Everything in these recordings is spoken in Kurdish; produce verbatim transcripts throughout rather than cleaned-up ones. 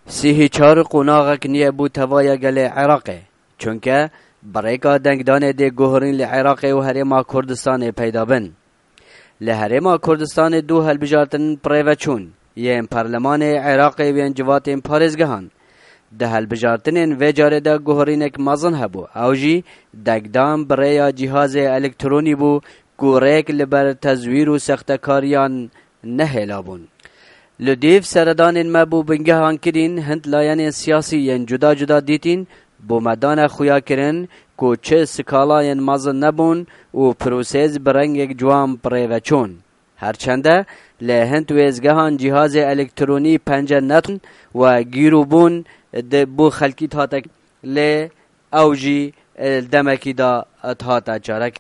Sîhî çar qonaxek niye bû tevaya gelê Iraqê. Çunke bi rêka dengdanê dê guhorîn li Iraqê û Herêma Kurdistanê peyda bin. Li Herêma Kurdistanê du hilbijartin bi rê ve çûn, yên Parlemanê Iraqê û yên civatên parêzgehan. Di hilbijartinên vê carê de guhorînek mezin hebû, ew jî dengdan bi rêya cîhazê elektronî bû ku rêk li ber tezwîr û sextekariyan nehêlabûn. Li dîv seredanên me bo bingehan kirîn, hind layenên siyasî yên cuda cuda dîtîn bo me dane xuya kirin ku çi skalayên mezin nebûn û prosês bi rengek ciwan bi rê ve çûn. Her çende li hind wêzgehan cîhazê elektronî pence netin we gîrûbûn di bo xelkî hate, lê ew jî, e, demekî da hate çarek.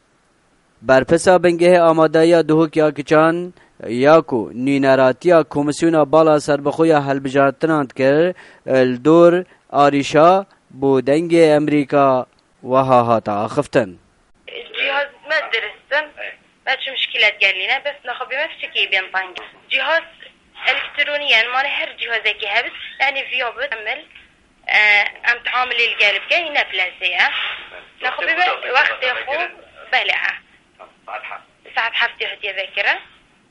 Berpirsa bingehê amadayiya Duhok ya Kiçan ya ku nûneratiya Komîsyona Bala Serbixwe ya Hilbijartinan dikir, li dor arîşa bo Dengê Emerîka wiha hate axiftin. Cihaz me dirist in. Me çi muşkilet gelîne, bes naxwe bê me fiçekê bên teng. Cihaz elektronî ye, mane her cihazekî hebit, yani viya bit, emel, e, em teamilê li gel bikin, ne plesê ye. Naxwe bê me wextê xwe, belê, ha. Saet heftê hatiye vekirin.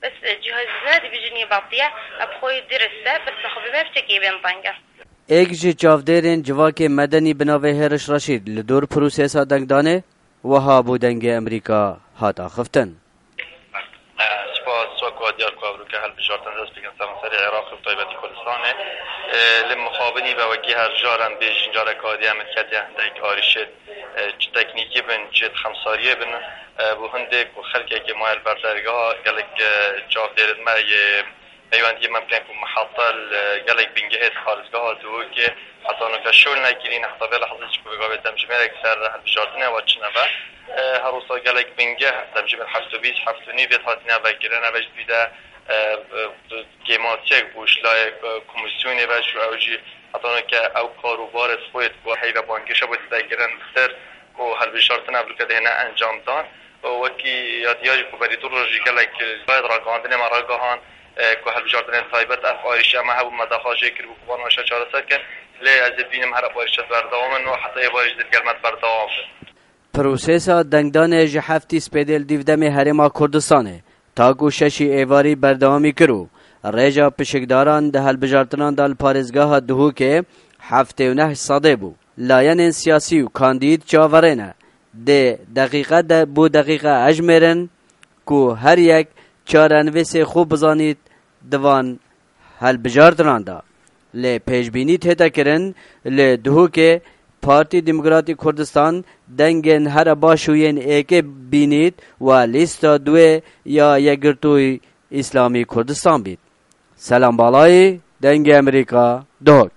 Bes, e, cihaz ne dibijinî batiye, e, bi xwe dirist e, bes naxwe bê me fiçekê bên teng e. Êk ji çavdêrên civakê medenî bi navê Hêriş Reşîd li dor prosesa dengdanê wiha bo Dengê Emerîka hat axiftin. Spas, wek ku diyar ku evroke hilbijartin dest pêkin seranserê Iraqê û taybetî Kurdistanê. Li mixabinî ve wekî her caran bêjin, careka dî em diketiye hindek arîşê, e, çi teknîkî bin, çi xemsariyê bin, e, bo hindê ku xelkekê maye li ber dergeha gelek, e, çavdêrin me yê Peywendiyê me bikin ku mihata li gelek bingehê di parêzgeha Duhokê heta nûke şol nekirîn, heta vê lehzê jî ku vê gavê demjimêrek ser hilbijartinê ve çine ve. E, her wisa gelek bingeh demjimêr heft û bîst, heft û nîv yê hatine vekirin, ev jî dî de, e, e, kêmasiyek bû ji layê, e, komîsyonê ve, ji ew jî heta nûke ew kar û barê xwe yê ku heyve bangêşe bû têde kirin, bitir ku hilbijartin evroke dihêne encamdan. Wekî ya diyar jî ku berî du roj jî gelek layê ragihandinê me ragihan, e, ku hilbijartinên taybet ev arîşa me hebû, me daxwaz jê kiribû ku van arîşa çareser kin. Lê ez ê bînim her ev arîşa berdewam in û heta êvarê jî digel me berdewam bin. Prosesa dengdanê ji heftî spêdê li dîv demê Herêma Kurdistanê ta ku şeşî êvarî berdewamî kir û rêja pişikdaran di hilbijartinan de li parêzgeha Duhokê heftê û neh sedê bû. Layenên siyasî û kandîd çaverê ne. Dê deqîqe de bo deqîqe ejmêrin ku her yek çarenivîsê xwe bizanît di van hilbijartinan de. Lê pêşbînî tête kirin, li Duhokê Partî Demokratîk Kurdistan dengên here baş û yên êkê bînît we lîsta duê ya Yekgirtûyî Îslamî Kurdistan bît. Selam Balayî, Dengê Emerîka, Duhok.